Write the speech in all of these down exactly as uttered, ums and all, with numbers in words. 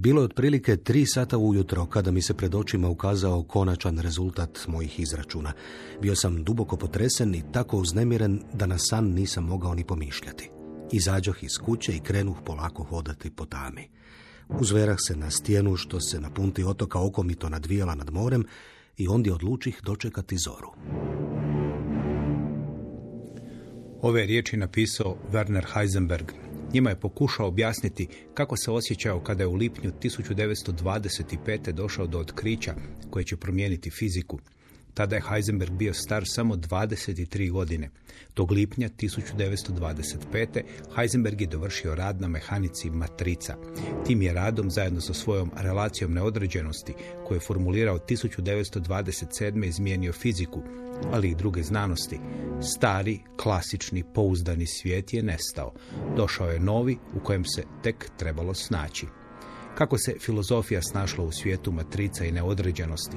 Bilo je otprilike tri sata ujutro kada mi se pred očima ukazao konačan rezultat mojih izračuna. Bio sam duboko potresen i tako uznemiren da na san nisam mogao ni pomišljati. Izađoh iz kuće i krenuh polako hodati po tami. Uzverah se na stijenu što se na punti otoka okomito nadvijala nad morem i ondje odlučih dočekati zoru. Ove riječi napisao Werner Heisenberg. Njima je pokušao objasniti kako se osjećao kada je u lipnju tisuću devetsto dvadeset pete. došao do otkrića koje će promijeniti fiziku. Tada je Heisenberg bio star samo dvadeset tri godine. Tog lipnja tisuću devetsto dvadeset pete. Heisenberg je dovršio rad na mehanici matrica. Tim je radom, zajedno sa svojom relacijom neodređenosti, koju je formulirao tisuću devetsto dvadeset sedme. izmijenio fiziku, ali i druge znanosti. Stari, klasični, pouzdani svijet je nestao. Došao je novi u kojem se tek trebalo snaći. Kako se filozofija snašla u svijetu matrica i neodređenosti?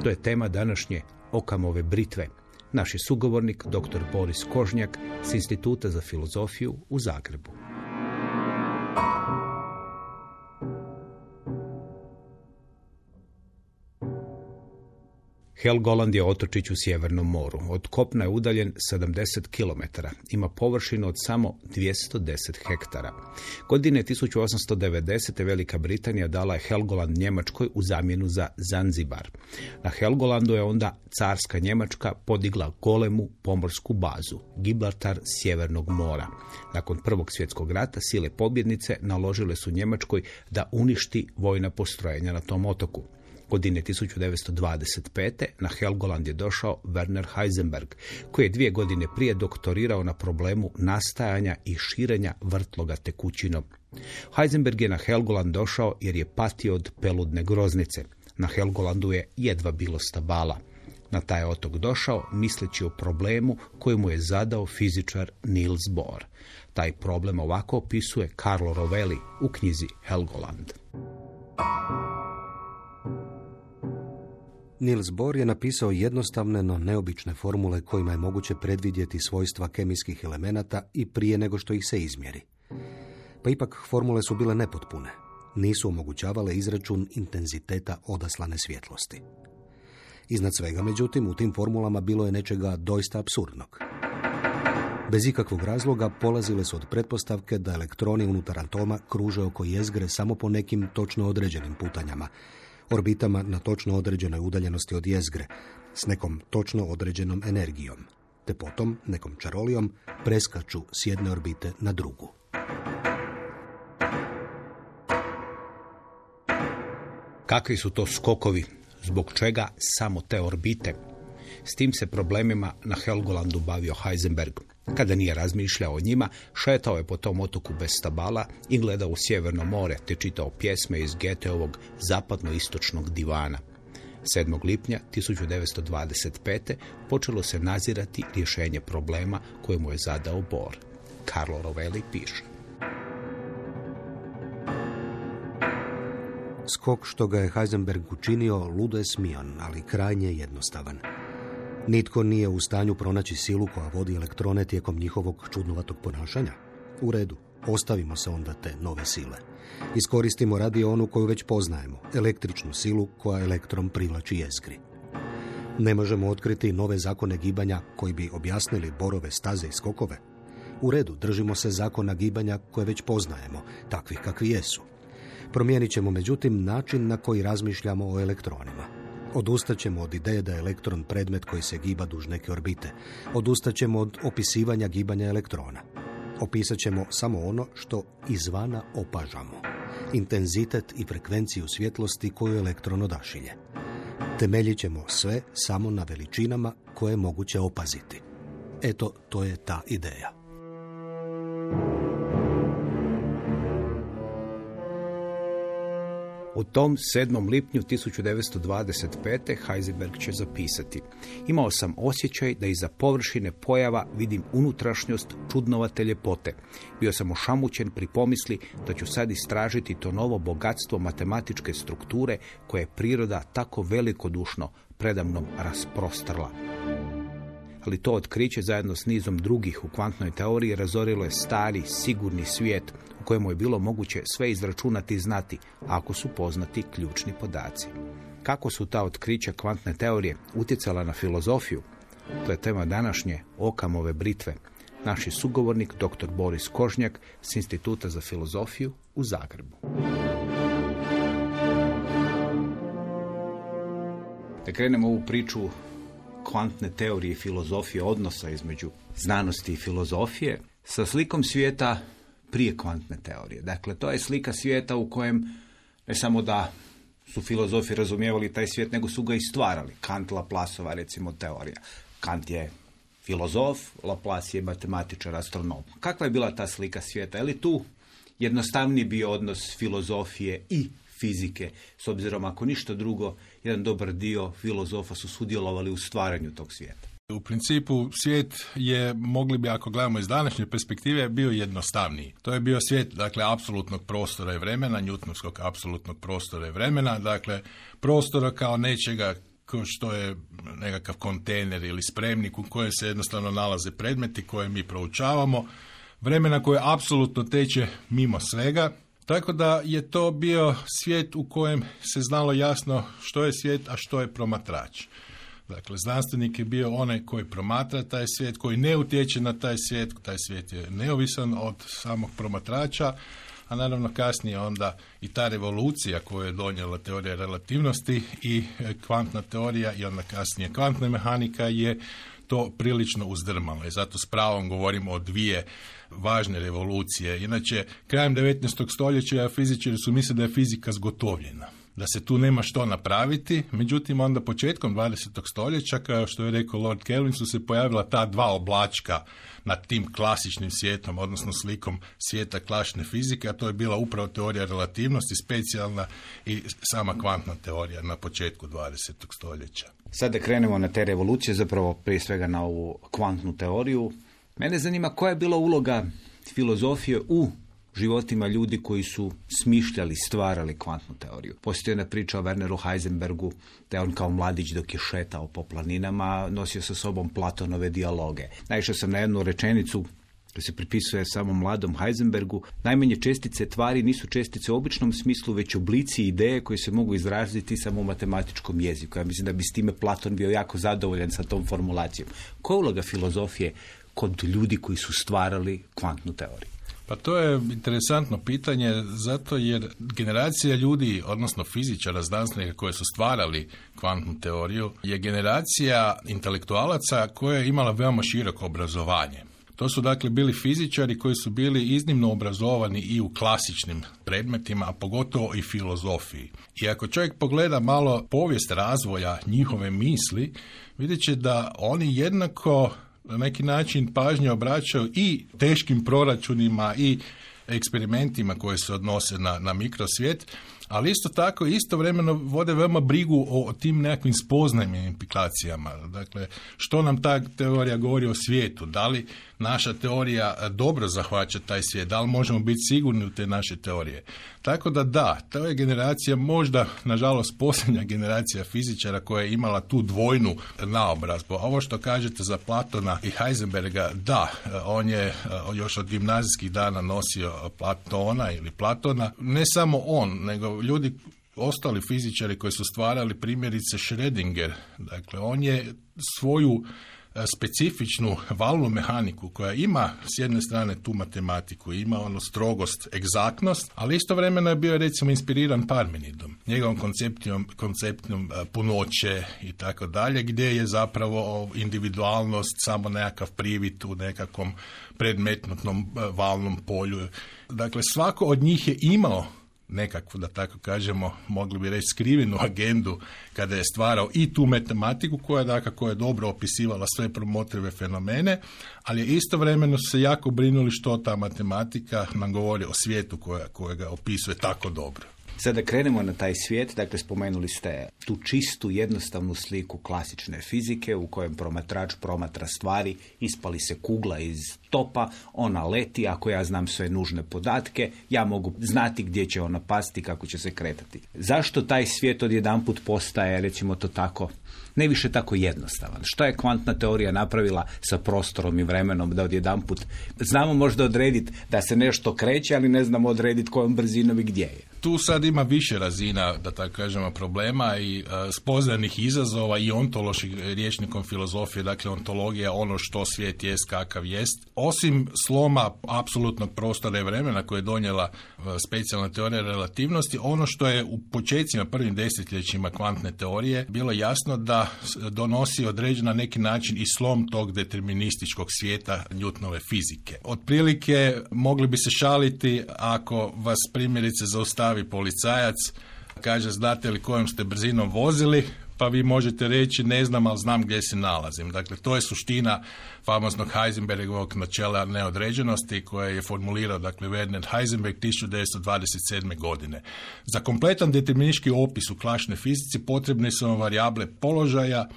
To je tema današnje Okamove britve. Naš je sugovornik dr. Boris Kožnjak s Instituta za filozofiju u Zagrebu. Helgoland je otočić u Sjevernom moru. Od kopna je udaljen sedamdeset kilometara. Ima površinu od samo dvjesto deset hektara. Godine tisuću osamsto devedesete. Velika Britanija dala je Helgoland Njemačkoj u zamjenu za Zanzibar. Na Helgolandu je onda carska Njemačka podigla golemu pomorsku bazu, Gibraltar Sjevernog mora. Nakon Prvog svjetskog rata sile pobjednice naložile su Njemačkoj da uništi vojna postrojenja na tom otoku. Godine tisuću devetsto dvadeset pete. na Helgoland je došao Werner Heisenberg, koji je dvije godine prije doktorirao na problemu nastajanja i širenja vrtloga tekućinom. Heisenberg je na Helgoland došao jer je patio od peludne groznice. Na Helgolandu je jedva bilo stabala. Na taj otok došao misleći o problemu koji mu je zadao fizičar Niels Bohr. Taj problem ovako opisuje Carlo Rovelli u knjizi Helgoland. Niels Bohr je napisao jednostavne, no neobične formule kojima je moguće predvidjeti svojstva kemijskih elemenata i prije nego što ih se izmjeri. Pa ipak formule su bile nepotpune. Nisu omogućavale izračun intenziteta odaslane svjetlosti. Iznad svega, međutim, u tim formulama bilo je nečega doista apsurdnog. Bez ikakvog razloga polazile su od pretpostavke da elektroni unutar atoma kruže oko jezgre samo po nekim točno određenim putanjama, orbitama na točno određenoj udaljenosti od jezgre, s nekom točno određenom energijom, te potom nekom čarolijom preskaču s jedne orbite na drugu. Kakvi su to skokovi? Zbog čega samo te orbite? S tim se problemima na Helgolandu bavio Heisenberg. Kada nije razmišljao o njima, šetao je po tom otoku bez stabala i gledao u Sjeverno more, te čitao pjesme iz Goetheovog zapadno-istočnog divana. sedmog lipnja tisuću devetsto dvadeset pete. počelo se nazirati rješenje problema koje mu je zadao Bohr. Carlo Rovelli piše. Skok što ga je Heisenberg učinio ludo je smion, ali krajnje jednostavan. Nitko nije u stanju pronaći silu koja vodi elektrone tijekom njihovog čudnovatog ponašanja. U redu, ostavimo se onda te nove sile. Iskoristimo radi onu koju već poznajemo, električnu silu koja elektron privlači jezgri. Ne možemo otkriti nove zakone gibanja koji bi objasnili Borove staze i skokove. U redu, držimo se zakona gibanja koje već poznajemo, takvih kakvi jesu. Promijenit ćemo međutim način na koji razmišljamo o elektronima. Odustaćemo od ideje da je elektron predmet koji se giba duž neke orbite. Odustaćemo od opisivanja gibanja elektrona. Opisat ćemo samo ono što izvana opažamo. Intenzitet i frekvenciju svjetlosti koju elektron odašilje. Temeljit ćemo sve samo na veličinama koje je moguće opaziti. Eto, to je ta ideja. U tom sedmom lipnju tisuću devetsto dvadeset pete. Heisenberg će zapisati: imao sam osjećaj da iza površine pojava vidim unutrašnjost čudnovate ljepote. Bio sam ošamućen pri pomisli da ću sad istražiti to novo bogatstvo matematičke strukture koje je priroda tako velikodušno predamnom rasprostrla. ali to otkriće zajedno s nizom drugih u kvantnoj teoriji razorilo je stari, sigurni svijet u kojemu je bilo moguće sve izračunati i znati, ako su poznati ključni podaci. Kako su ta otkrića kvantne teorije utjecala na filozofiju? To je tema današnje Okamove britve. Naš je sugovornik dr. Boris Kožnjak s Instituta za filozofiju u Zagrebu. Da krenemo ovu priču kvantne teorije i filozofije, odnosa između znanosti i filozofije, sa slikom svijeta prije kvantne teorije. Dakle, to je slika svijeta u kojem ne samo da su filozofi razumijevali taj svijet, nego su ga i stvarali. Kant, Laplaceova, recimo, teorija. Kant je filozof, Laplace je matematičar, astronom. Kakva je bila ta slika svijeta? Je li tu jednostavniji bio odnos filozofije i fizike, s obzirom ako ništa drugo, jedan dobar dio filozofa su sudjelovali u stvaranju tog svijeta? U principu svijet je, mogli bi ako gledamo iz današnje perspektive, bio jednostavniji. To je bio svijet, dakle, apsolutnog prostora i vremena, Newtonovskog apsolutnog prostora i vremena, dakle, prostora kao nečega kao što je nekakav kontejner ili spremnik u kojem se jednostavno nalaze predmeti koje mi proučavamo, vremena koje apsolutno teče mimo svega, tako da je to bio svijet u kojem se znalo jasno što je svijet, a što je promatrač. Dakle, znanstvenik je bio onaj koji promatra taj svijet, koji ne utječe na taj svijet, taj svijet je neovisan od samog promatrača, a naravno kasnije onda i ta revolucija koju je donijela teorija relativnosti i kvantna teorija i onda kasnije kvantna mehanika je to prilično uzdrmalo i zato s pravom govorimo o dvije važne revolucije. Inače, krajem devetnaestog stoljeća fizičari su mislili da je fizika zgotovljena, da se tu nema što napraviti, međutim onda početkom dvadesetog stoljeća, kao što je rekao Lord Kelvin, su se pojavila ta dva oblačka nad tim klasičnim svijetom, odnosno slikom svijeta klasične fizike, a to je bila upravo teorija relativnosti, specijalna i sama kvantna teorija na početku dvadesetog stoljeća. Sada krenemo na te revolucije, zapravo prije svega na ovu kvantnu teoriju. Mene zanima koja je bila uloga filozofije u životima ljudi koji su smišljali, stvarali kvantnu teoriju. Postoji jedna priča o Werneru Heisenbergu, da je on kao mladić dok je šetao po planinama, nosio sa sobom Platonove dijaloge. Naišao sam na jednu rečenicu koja se pripisuje samom mladom Heisenbergu. Najmanje čestice tvari nisu čestice u običnom smislu, već oblici i ideje koje se mogu izraziti samo u matematičkom jeziku. Ja mislim da bi s time Platon bio jako zadovoljan sa tom formulacijom. Koja je uloga filozofije kod ljudi koji su stvarali kvantnu teoriju? Pa to je interesantno pitanje, zato jer generacija ljudi, odnosno fizičara, znanstvenika koji su stvarali kvantnu teoriju, je generacija intelektualaca koja je imala veoma široko obrazovanje. To su dakle bili fizičari koji su bili iznimno obrazovani i u klasičnim predmetima, a pogotovo i filozofiji. I ako čovjek pogleda malo povijest razvoja njihove misli, vidjet će da oni jednako na neki način pažnje obraćaju i teškim proračunima i eksperimentima koji se odnose na, na mikrosvijet, ali isto tako istovremeno vode veoma brigu o, o tim nekakvim spoznajnim implikacijama. Dakle, što nam ta teorija govori o svijetu? Da li naša teorija dobro zahvaća taj svijet? Da li možemo biti sigurni u te naše teorije? Tako da da, to je generacija možda, nažalost, posljednja generacija fizičara koja je imala tu dvojnu naobrazbu. A ovo što kažete za Platona i Heisenberga, da, on je još od gimnazijskih dana nosio Platona ili Platona. Ne samo on, nego ljudi, ostali fizičari koji su stvarali, primjerice Schrödinger. Dakle, on je svoju specifičnu valnu mehaniku koja ima s jedne strane tu matematiku, ima ono strogost, egzaktnost, ali istovremeno je bio recimo inspiriran Parmenidom, njegovom koncepcijom, konceptom punoće i tako dalje, gdje je zapravo individualnost samo nekakav privid u nekakvom predmetnom valnom polju. Dakle, svako od njih je imao nekakvu, da tako kažemo, mogli bi reći skrivenu agendu kada je stvarao i tu matematiku koja dakako je dobro opisivala sve promotrive fenomene, ali je istovremeno se jako brinuli što ta matematika nam govori o svijetu koja, koja ga opisuje tako dobro. Sada krenemo na taj svijet, dakle spomenuli ste tu čistu, jednostavnu sliku klasične fizike u kojem promatrač promatra stvari, ispali se kugla iz topa, ona leti, ako ja znam sve nužne podatke, ja mogu znati gdje će ona pasti, kako će se kretati. Zašto taj svijet odjedanput postaje, recimo to tako, ne više tako jednostavan? Što je kvantna teorija napravila sa prostorom i vremenom da odjedanput znamo možda odrediti da se nešto kreće, ali ne znamo odrediti kojom brzinom i gdje je? Tu sad ima više razina, da tako kažemo, problema i uh, spoznanih izazova i ontoloških rječnikom filozofije, dakle ontologija, ono što svijet jest, kakav jest. Osim sloma apsolutnog prostora i vremena koje je donijela uh, specijalna teorija relativnosti, ono što je u početcima, prvim desetljećima kvantne teorije bilo jasno da donosi određen na neki način i slom tog determinističkog svijeta Newtonove fizike. Otprilike mogli bi se šaliti ako vas primjerice zaustavi policajac, kaže znate li kojom ste brzinom vozili, pa vi možete reći ne znam, ali znam gdje se nalazim. Dakle, to je suština famoznog Heisenbergovog načela neodređenosti koje je formulirao, dakle, Werner Heisenberg tisuću devetsto dvadeset sedme. godine. Za kompletan deterministički opis u klasičnoj fizici potrebne su vam varijable položaja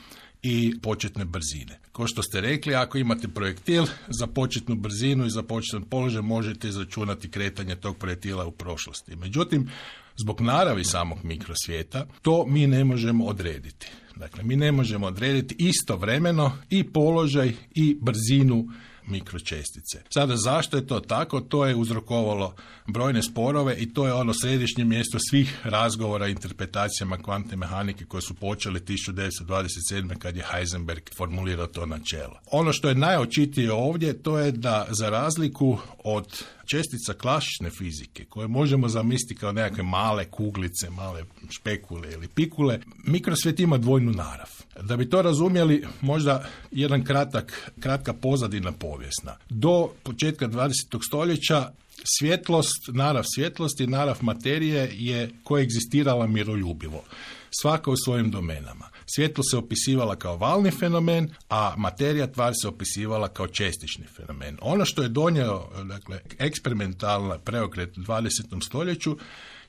i početne brzine. Kao što ste rekli, ako imate projektil, za početnu brzinu i za početan položaj možete izračunati kretanje tog projektila u prošlosti. Međutim, zbog naravi samog mikrosvijeta, to mi ne možemo odrediti. Dakle, mi ne možemo odrediti istovremeno i položaj i brzinu mikročestice. Sada, zašto je to tako? To je uzrokovalo brojne sporove i to je ono središnje mjesto svih razgovora i interpretacijama kvantne mehanike koje su počeli tisuću devetsto dvadeset sedme. kad je Heisenberg formulirao to načelo. Ono što je najočitije ovdje, to je da za razliku od čestica klasične fizike, koje možemo zamisliti kao nekakve male kuglice, male špekule ili pikule, mikrosvijet ima dvojnu narav. Da bi to razumjeli, možda jedan kratak, kratka pozadina povijesna. Do početka dvadesetog stoljeća svjetlost, narav svjetlosti, narav materije je koegzistirala miroljubivo, svaka u svojim domenama. Svjetlo se opisivala kao valni fenomen, a materija, tvar, se opisivala kao čestični fenomen. Ono što je donio, dakle, eksperimentalna preokret u dvadesetom stoljeću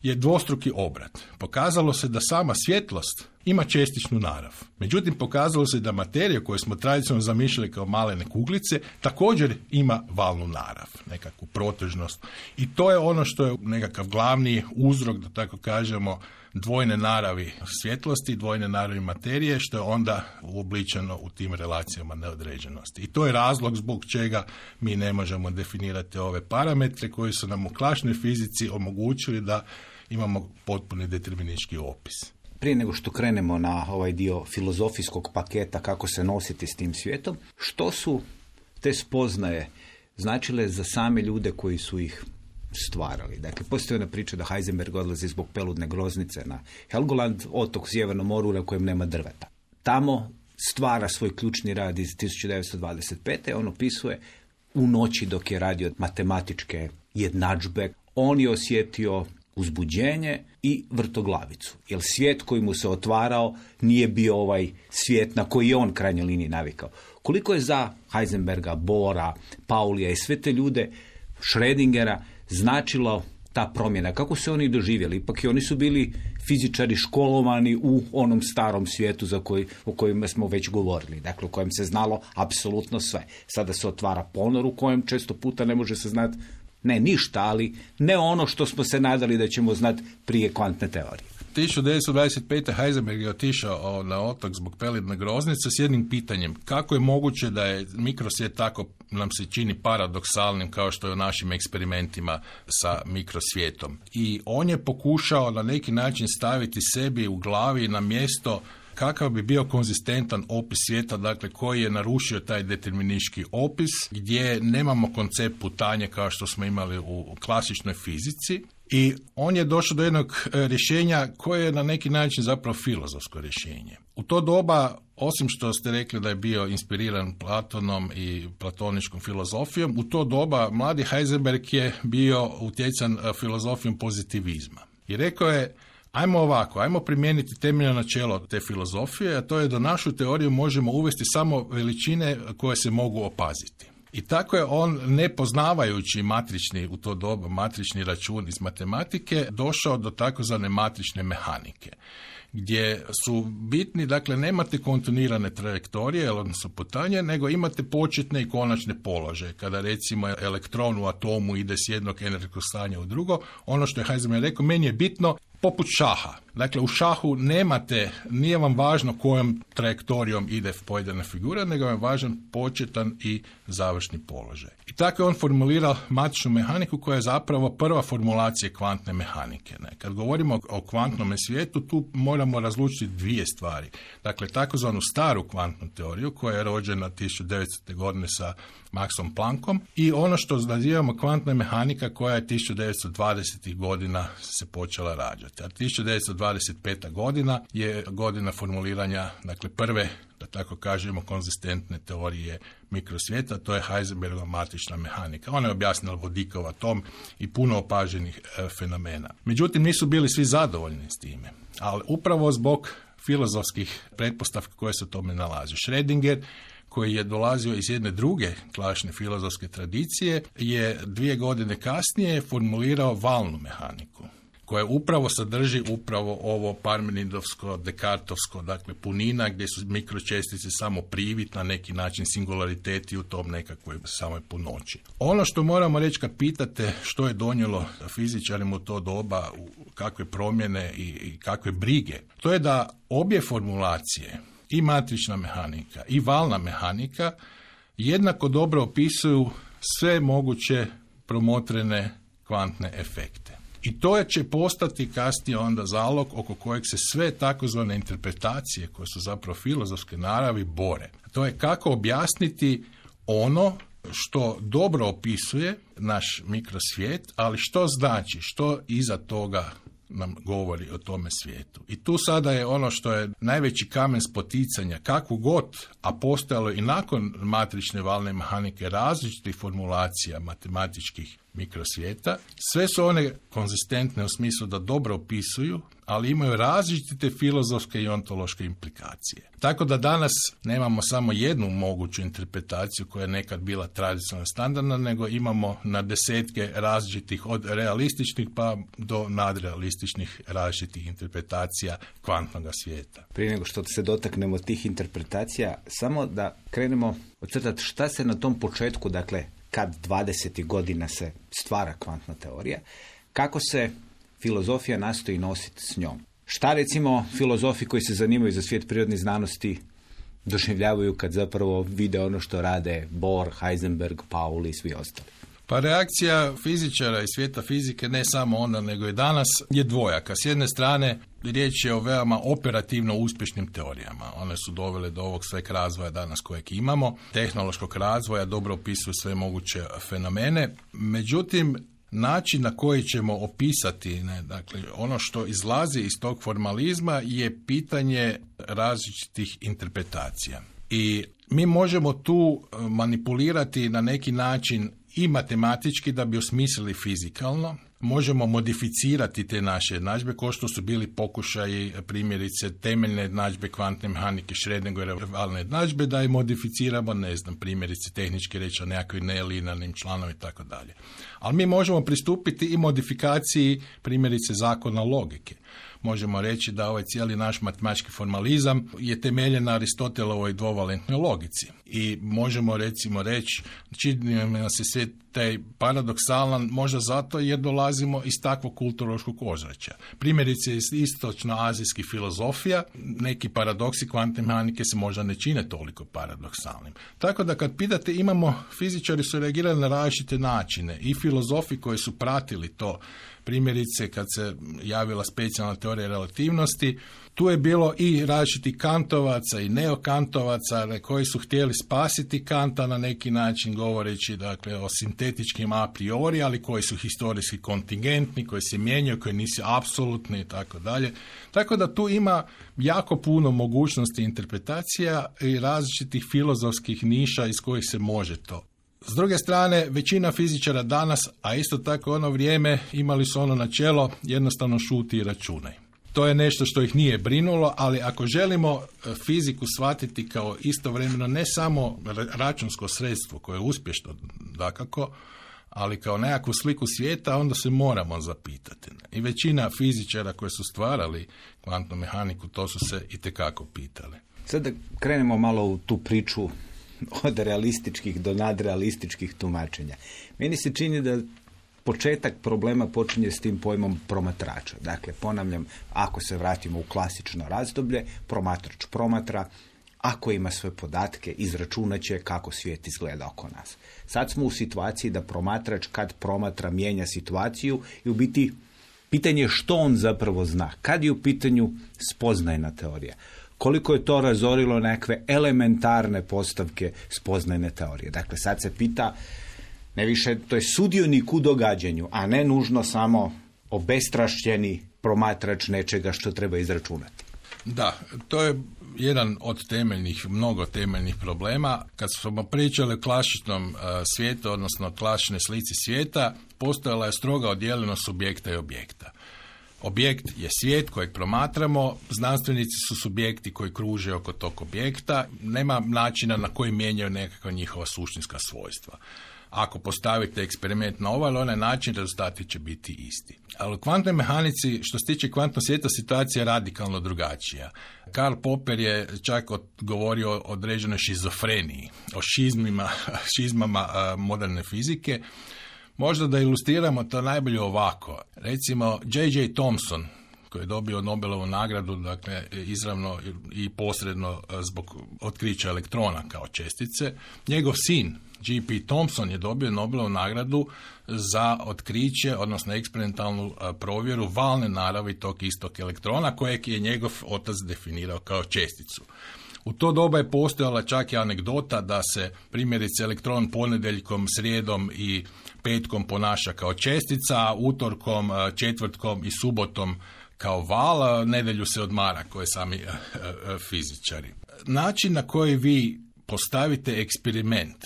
je dvostruki obrat. Pokazalo se da sama svjetlost ima čestičnu narav. Međutim, pokazalo se da materija koju smo tradicionalno zamišljali kao malene kuglice također ima valnu narav, nekakvu protežnost. I to je ono što je nekakav glavni uzrok, da tako kažemo, dvojne naravi svjetlosti, dvojne naravi materije, što je onda uobličeno u tim relacijama neodređenosti. I to je razlog zbog čega mi ne možemo definirati ove parametre koji su nam u klasičnoj fizici omogućili da imamo potpuni deterministički opis. Prije nego što krenemo na ovaj dio filozofijskog paketa kako se nositi s tim svijetom, što su te spoznaje značile za same ljude koji su ih stvarali? Dakle, postoji ona priča da Heisenberg odlazi zbog peludne groznice na Helgoland, otok u Sjevernom moru na kojem nema drveta. Tamo stvara svoj ključni rad iz tisuću devetsto dvadeset pete. On opisuje u noći dok je radio matematičke jednadžbe. On je osjetio uzbuđenje i vrtoglavicu. Jer svijet koji mu se otvarao nije bio ovaj svijet na koji je on krajnjoj liniji navikao. Koliko je za Heisenberga, Bohra, Paulija i sve te ljude, Schrödingera, značilo ta promjena? Kako su oni doživjeli? Ipak i oni su bili fizičari školovani u onom starom svijetu za koji, o kojem smo već govorili. Dakle, u kojem se znalo apsolutno sve. Sada se otvara ponor u kojem često puta ne može se znati ne ništa, ali ne ono što smo se nadali da ćemo znati prije kvantne teorije. tisuću devetsto dvadeset pete. Heisenberg je otišao na otok zbog peludne groznice s jednim pitanjem. Kako je moguće da je mikrosvijet tako nam se čini paradoksalnim kao što je u našim eksperimentima sa mikrosvijetom? I on je pokušao na neki način staviti sebi u glavi na mjesto kakav bi bio konzistentan opis svijeta, dakle koji je narušio taj deterministički opis, gdje nemamo koncept putanje kao što smo imali u klasičnoj fizici. I on je došao do jednog rješenja koje je na neki način zapravo filozofsko rješenje. U to doba, osim što ste rekli da je bio inspiriran Platonom i platoničkom filozofijom, u to doba mladi Heisenberg je bio utjecan filozofijom pozitivizma. I rekao je, ajmo ovako, ajmo primijeniti temeljno načelo te filozofije, a to je da našu teoriju možemo uvesti samo veličine koje se mogu opaziti. I tako je on, ne poznavajući matrični, u to doba matrični račun iz matematike, došao do takozvane matrične mehanike. gdje su bitni, dakle nemate kontinuirane trajektorije, odnosno putanje, nego imate početne i konačne položaje. Kada recimo elektron u atomu ide s jednog energetskog stanja u drugo, ono što je Heisenberg rekao, meni je bitno poput šaha. Dakle, u šahu nemate, nije vam važno kojom trajektorijom ide pojedina figura, nego vam je važan početan i završni položaj. I tako je on formulirao matičnu mehaniku koja je zapravo prva formulacija kvantne mehanike. Ne? Kad govorimo o kvantnom svijetu, tu moramo razlučiti dvije stvari. Dakle, takozvanu staru kvantnu teoriju koja je rođena tisuću devetstotne godine sa Maxom Planckom i ono što nazivamo kvantna mehanika koja je tisuću devetsto dvadesetih godina se počela rađati. A tisuću devetsto dvadeset peta godina je godina formuliranja, dakle prve, da tako kažemo, konzistentne teorije mikrosvijeta, to je Heisenbergova matična mehanika. Ona je objasnila vodikov atom i puno opaženih e, fenomena. Međutim, nisu bili svi zadovoljni s time, ali upravo zbog filozofskih pretpostavki koje se u tome nalaze. Schrödinger, koji je dolazio iz jedne druge klasične filozofske tradicije, je dvije godine kasnije formulirao valnu mehaniku, koja upravo sadrži upravo ovo parmenidovsko, dekartovsko, dakle punina, gdje su mikročestice samo privid, na neki način singulariteti u tom nekakvoj samoj punoći. Ono što moramo reći kad pitate što je donijelo fizičarima u to doba, kakve promjene i, i kakve brige, to je da obje formulacije, i matrična mehanika i valna mehanika, jednako dobro opisuju sve moguće promotrene kvantne efekte. I to će postati kasnije onda zalog oko kojeg se sve takozvane interpretacije, koje su zapravo filozofske naravi, bore. To je kako objasniti ono što dobro opisuje naš mikrosvijet, ali što znači, što iza toga nam govori o tome svijetu. I tu sada je ono što je najveći kamen spoticanja, kakvu god, a postojalo i nakon matrične valne mehanike različitih formulacija matematičkih mikrosvijeta, sve su one konzistentne u smislu da dobro opisuju, ali imaju različite filozofske i ontološke implikacije. Tako da danas nemamo samo jednu moguću interpretaciju koja je nekad bila tradicionalno standardna, nego imamo na desetke različitih, od realističnih pa do nadrealističnih različitih interpretacija kvantnog svijeta. Prije nego što se dotaknemo tih interpretacija, samo da krenemo ocrtati šta se na tom početku, dakle, kad dvadesetih godina se stvara kvantna teorija, kako se filozofija nastoji nositi s njom. Šta recimo filozofi koji se zanimaju za svijet prirodnih znanosti doživljavaju kad zapravo vide ono što rade Bohr, Heisenberg, Pauli i svi ostali? Pa reakcija fizičara i svijeta fizike, ne samo onda nego i danas, je dvojaka. S jedne strane, riječ je o veoma operativno uspješnim teorijama. One su dovele do ovog sveg razvoja danas kojeg imamo, tehnološkog razvoja, dobro opisuju sve moguće fenomene. Međutim, način na koji ćemo opisati, ne, dakle, ono što izlazi iz tog formalizma je pitanje različitih interpretacija. I mi možemo tu manipulirati na neki način i matematički da bi osmislili fizikalno, možemo modificirati te naše jednadžbe, kao što su bili pokušaji primjerice temeljne jednadžbe kvantne mehanike Schrödingerove valne jednadžbe, da je modificiramo, ne znam, primjerice tehnički reći o nekakvim nelinearnim članovima i tako dalje. Ali mi možemo pristupiti i modifikaciji primjerice zakona logike. Možemo reći da ovaj cijeli naš matematički formalizam je temeljen na Aristotelovoj dvovalentnoj logici. I možemo recimo reći, čini nam se sve taj paradoksalan možda zato jer dolazimo iz takvog kulturološkog ozračja. Primjerice iz istočno-azijskih filozofija, neki paradoksi kvantne mehanike se možda ne čine toliko paradoksalnim. Tako da kad pitate, imamo, fizičari su reagirali na različite načine i filozofi koji su pratili to. Primjerice, kad se javila specijalna teorija relativnosti, tu je bilo i različitih kantovaca i neokantovaca koji su htjeli spasiti Kanta na neki način, govoreći dakle o sintetičkim a priori, ali koji su historijski kontingentni, koji se mijenjaju, koji nisu apsolutni i tako dalje. Tako da tu ima jako puno mogućnosti interpretacija i različitih filozofskih niša iz kojih se može to. S druge strane, većina fizičara danas, a isto tako ono vrijeme, imali su ono načelo jednostavno šuti i računaj. To je nešto što ih nije brinulo, ali ako želimo fiziku shvatiti kao istovremeno ne samo računsko sredstvo koje je uspješno dakako, ali kao nekakvu sliku svijeta onda se moramo zapitati. I većina fizičara koji su stvarali kvantnu mehaniku, to su se itekako pitali. Sad da krenemo malo u tu priču od realističkih do nadrealističkih tumačenja. Meni se čini da početak problema počinje s tim pojmom promatrača. Dakle, ponavljam, ako se vratimo u klasično razdoblje, promatrač promatra, ako ima sve podatke, izračunat će kako svijet izgleda oko nas. Sad smo u situaciji da promatrač kad promatra mijenja situaciju i u biti pitanje je što on zapravo zna. Kad je u pitanju spoznajna teorija. Koliko je to razorilo nekakve elementarne postavke spoznajne teorije. Dakle, sad se pita, ne više, to je sudionik u događanju, a ne nužno samo obestrašćeni promatrač nečega što treba izračunati. Da, to je jedan od temeljnih, mnogo temeljnih problema. Kad smo pričali o klasičnom uh, svijetu, odnosno klasičnoj slici svijeta, postojala je stroga odjeljenost subjekta i objekta. Objekt je svijet kojeg promatramo, znanstvenici su subjekti koji kruže oko tog objekta, nema načina na koji mijenjaju nekakva njihova suštinska svojstva. Ako postavite eksperiment na ovaj ili onaj način, rezultati će biti isti. Ali u kvantnoj mehanici, što se tiče kvantnog svijeta, situacija je radikalno drugačija. Karl Popper je čak govorio o određenoj šizofreniji, o šizmima, šizmama moderne fizike. Možda da ilustriramo to najbolje ovako. Recimo, J J. Thomson, koji je dobio Nobelovu nagradu, dakle, izravno i posredno zbog otkrića elektrona kao čestice, njegov sin, G P. Thomson, je dobio Nobelovu nagradu za otkriće, odnosno eksperimentalnu provjeru valne naravi tog istog elektrona, kojeg je njegov otac definirao kao česticu. U to doba je postojala čak i anegdota da se primjerice elektron ponedjeljkom, srijedom i petkom ponaša kao čestica, a utorkom, četvrtkom i subotom kao val, nedjelju se odmara, koje sami fizičari. Način na koji vi postavite eksperiment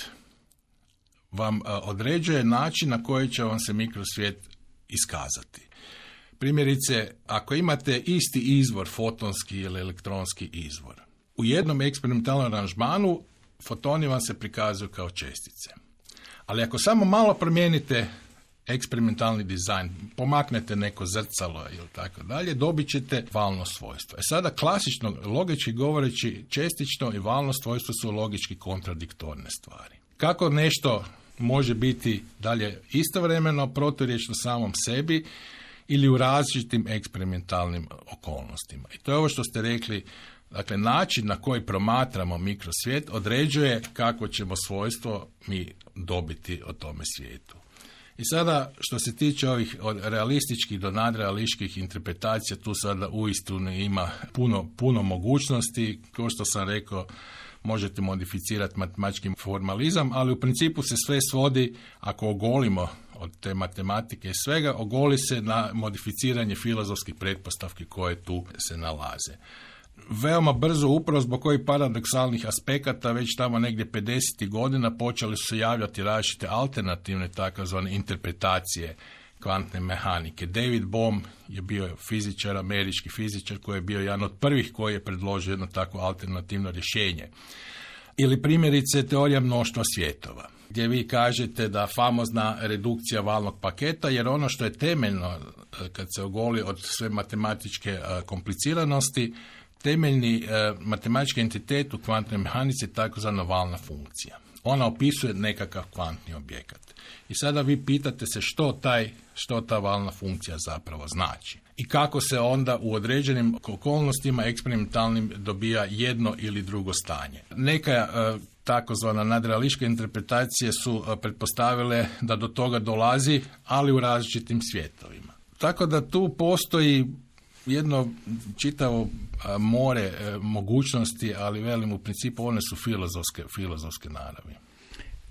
vam određuje način na koji će vam se mikrosvijet iskazati. Primjerice, ako imate isti izvor, fotonski ili elektronski izvor, u jednom eksperimentalnom aranžmanu fotoni vam se prikazuju kao čestice. Ali ako samo malo promijenite eksperimentalni dizajn, pomaknete neko zrcalo ili tako dalje, dobit ćete valno svojstvo. E sada klasično, logički govoreći, čestično i valno svojstvo su logički kontradiktorne stvari. Kako nešto može biti dalje istovremeno, proturječno samom sebi ili u različitim eksperimentalnim okolnostima. I to je ovo što ste rekli. Dakle, način na koji promatramo mikrosvijet određuje kako ćemo svojstvo mi dobiti o tome svijetu. I sada, što se tiče ovih od realističkih do nadrealističkih interpretacija, tu sada uistinu ima puno, puno mogućnosti. Kao što sam rekao, možete modificirati matematički formalizam, ali u principu se sve svodi, ako ogolimo od te matematike i svega, ogoli se na modificiranje filozofskih pretpostavki koje tu se nalaze. Veoma brzo, upravo zbog kojih paradoksalnih aspekata, već tamo negdje pedesetih godina počeli su se javljati različite alternativne takozvane interpretacije kvantne mehanike. David Bohm je bio fizičar, američki fizičar, koji je bio jedan od prvih koji je predložio jedno takvo alternativno rješenje. Ili primjerice teorija mnoštva svjetova, gdje vi kažete da famozna redukcija valnog paketa, jer ono što je temeljno kad se ogoli od sve matematičke kompliciranosti, temeljni e, matematički entitet u kvantnoj mehanici je takozvana valna funkcija. Ona opisuje nekakav kvantni objekat. I sada vi pitate se što, taj, što ta valna funkcija zapravo znači. I kako se onda u određenim okolnostima eksperimentalnim dobija jedno ili drugo stanje. Neka e, takozvana nadrealističke interpretacije su e, pretpostavile da do toga dolazi, ali u različitim svjetovima. Tako da tu postoji jedno čitavo more e, mogućnosti, ali velim u principu one su filozofske, filozofske naravi.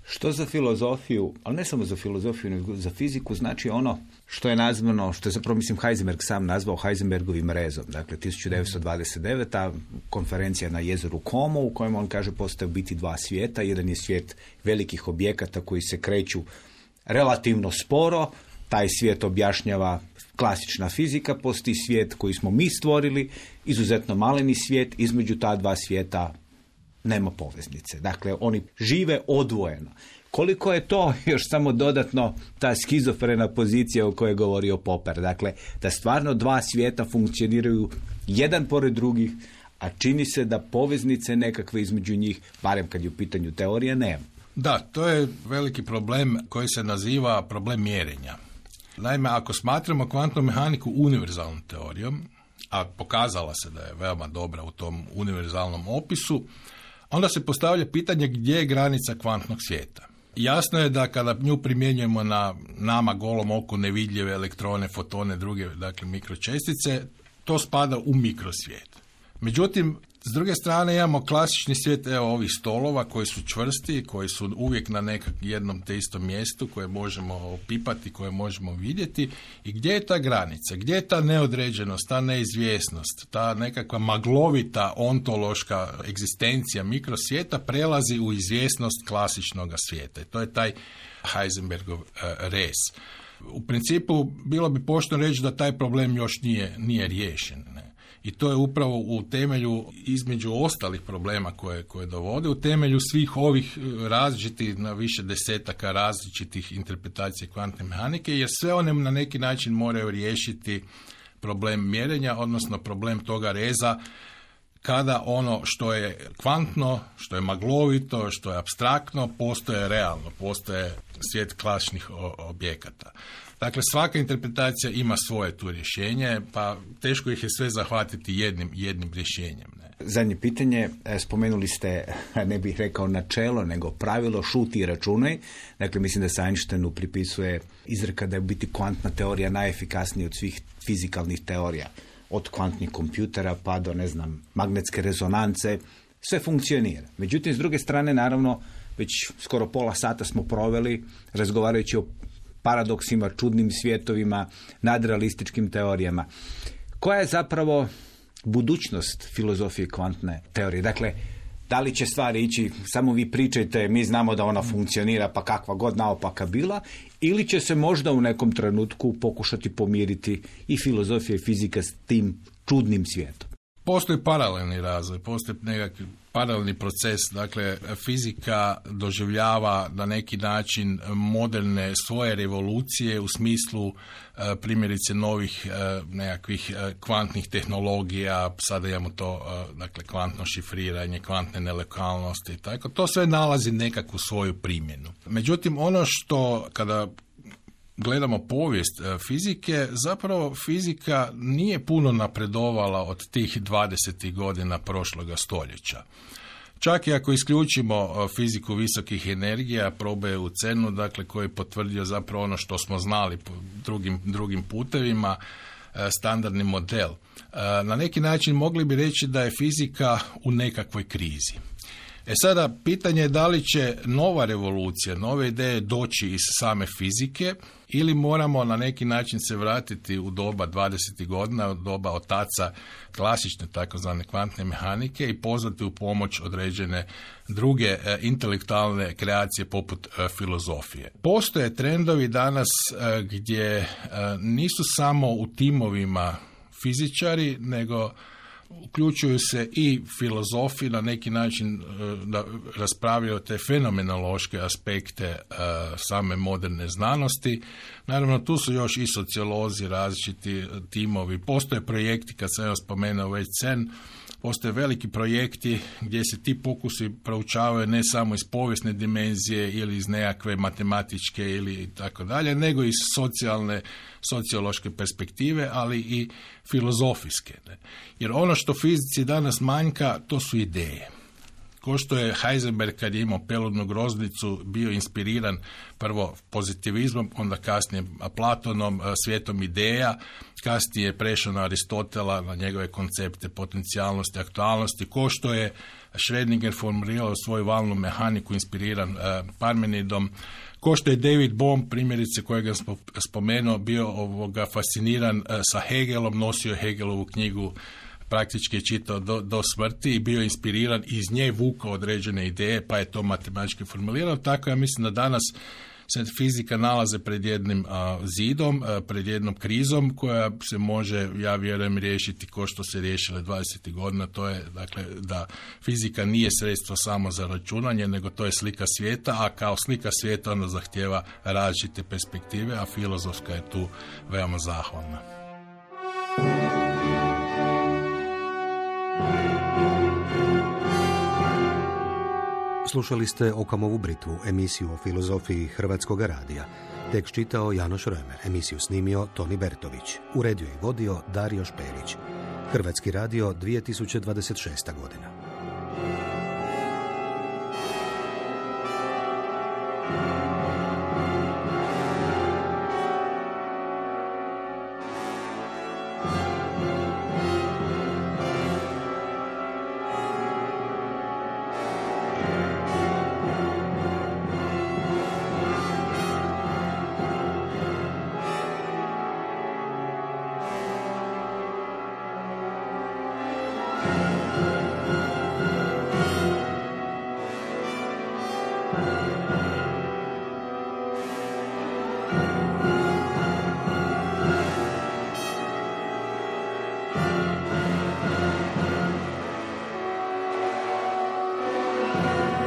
Što za filozofiju, ali ne samo za filozofiju, nego za fiziku, znači ono što je nazvano, što je zapravo, mislim, Heisenberg sam nazvao Heisenbergovim rezom. Dakle, tisuću devetsto dvadeset deveta konferencija na jezeru Como, u kojem on kaže postoje biti dva svijeta. Jedan je svijet velikih objekata koji se kreću relativno sporo, taj svijet objašnjava klasična fizika, postoji svijet koji smo mi stvorili, izuzetno maleni svijet, između ta dva svijeta nema poveznice. Dakle, oni žive odvojeno. Koliko je to još samo dodatno ta skizofrena pozicija o kojoj je govorio Popper. Dakle, da stvarno dva svijeta funkcioniraju jedan pored drugih, a čini se da poveznice nekakve između njih, barem kad je u pitanju teorija, nema. Da, to je veliki problem koji se naziva problem mjerenja. Naime, ako smatramo kvantnu mehaniku univerzalnom teorijom, a pokazala se da je veoma dobra u tom univerzalnom opisu, onda se postavlja pitanje gdje je granica kvantnog svijeta. Jasno je da kada nju primjenjujemo na nama golom oku nevidljive elektrone, fotone, druge, dakle mikročestice, to spada u mikrosvijet. Međutim, s druge strane imamo klasični svijet evo, ovih stolova koji su čvrsti, koji su uvijek na nekom jednom te istom mjestu koje možemo opipati, koje možemo vidjeti. I gdje je ta granica? Gdje je ta neodređenost, ta neizvjesnost, ta nekakva maglovita ontološka egzistencija mikrosvijeta prelazi u izvjesnost klasičnog svijeta. I to je taj Heisenbergov uh, rez. U principu bilo bi pošteno reći da taj problem još nije, nije riješen. Ne? I to je upravo u temelju, između ostalih problema koje, koje dovode, u temelju svih ovih različitih, na više desetaka različitih interpretacija kvantne mehanike, jer sve one na neki način moraju riješiti problem mjerenja, odnosno problem toga reza, kada ono što je kvantno, što je maglovito, što je apstraktno, postoje realno, postoje svijet klasičnih objekata. Dakle, svaka interpretacija ima svoje tu rješenje, pa teško ih je sve zahvatiti jednim, jednim rješenjem. Ne? Zadnje pitanje, spomenuli ste, ne bih rekao načelo, nego pravilo šuti i računaj. Dakle, mislim da se Einsteinu pripisuje izreka da je biti kvantna teorija najefikasnija od svih fizikalnih teorija. Od kvantnih kompjutera pa do, ne znam, magnetske rezonance, sve funkcionira. Međutim, s druge strane, naravno, već skoro pola sata smo proveli razgovarajući o paradoksima, čudnim svjetovima, nadrealističkim teorijama. Koja je zapravo budućnost filozofije kvantne teorije? Dakle, da li će stvari ići, samo vi pričajte, mi znamo da ona funkcionira, pa kakva god naopaka bila, ili će se možda u nekom trenutku pokušati pomiriti i filozofija i fizika s tim čudnim svijetom? Postoji paralelni razvoj, postoji nekakvi paralelni proces, dakle fizika doživljava na neki način moderne svoje revolucije u smislu e, primjerice novih e, nekakvih e, kvantnih tehnologija, sada imamo to, e, dakle kvantno šifriranje, kvantne nelokalnosti i tako, to sve nalazi nekakvu svoju primjenu. Međutim, ono što kada gledamo povijest fizike, zapravo fizika nije puno napredovala od tih dvadesetih godina prošloga stoljeća. Čak i ako isključimo fiziku visokih energija, probe u CERNu, dakle koji je potvrdio zapravo ono što smo znali po drugim, drugim putevima, standardni model. Na neki način mogli bi reći da je fizika u nekakvoj krizi. E sada, pitanje je da li će nova revolucija, nove ideje doći iz same fizike ili moramo na neki način se vratiti u doba dvadesetih godina, u doba otaca klasične takozvane kvantne mehanike i pozvati u pomoć određene druge e, intelektualne kreacije poput e, filozofije. Postoje trendovi danas e, gdje e, nisu samo u timovima fizičari, nego uključuju se i filozofi na neki način da raspravljaju te fenomenološke aspekte same moderne znanosti. Naravno, tu su još i sociolozi, različiti timovi. Postoje projekti, kad sam ja spomenuo već CERN, postoje veliki projekti gdje se ti pokusi proučavaju ne samo iz povijesne dimenzije ili iz nekakve matematičke ili tako dalje, nego iz socijalne, sociološke perspektive, ali i filozofijske. Ne? Jer ono što fizici danas manjka, to su ideje. Ko što je Heisenberg kad je imao peludnu groznicu bio inspiriran prvo pozitivizmom, onda kasnije Platonom, svijetom ideja, kasnije je prešao na Aristotela, na njegove koncepte potencijalnosti, aktualnosti, ko što je Schrödinger formulirao svoju valnu mehaniku inspiriran uh, Parmenidom, ko što je David Bohm, primjerice kojega sam spomenuo, bio ovoga fasciniran uh, sa Hegelom, nosio Hegelovu knjigu, praktički je čitao do, do smrti i bio inspiriran i iz nje vukao određene ideje, pa je to matematički formulirao. Tako ja mislim da danas se fizika nalaze pred jednim a, zidom, a, pred jednom krizom koja se može, ja vjerujem, riješiti ko što se riješile dvadesetih godina. To je, dakle, da fizika nije sredstvo samo za računanje, nego to je slika svijeta, a kao slika svijeta ona zahtjeva različite perspektive, a filozofska je tu veoma zahvalna. Slušali ste Okamovu britvu, emisiju o filozofiji Hrvatskog radija. Tekst čitao Janoš Römer, emisiju snimio Toni Bertović, uredio i vodio Dario Špelić. Hrvatski radio dvije tisuće dvadeset šesta godina.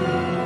Thank you.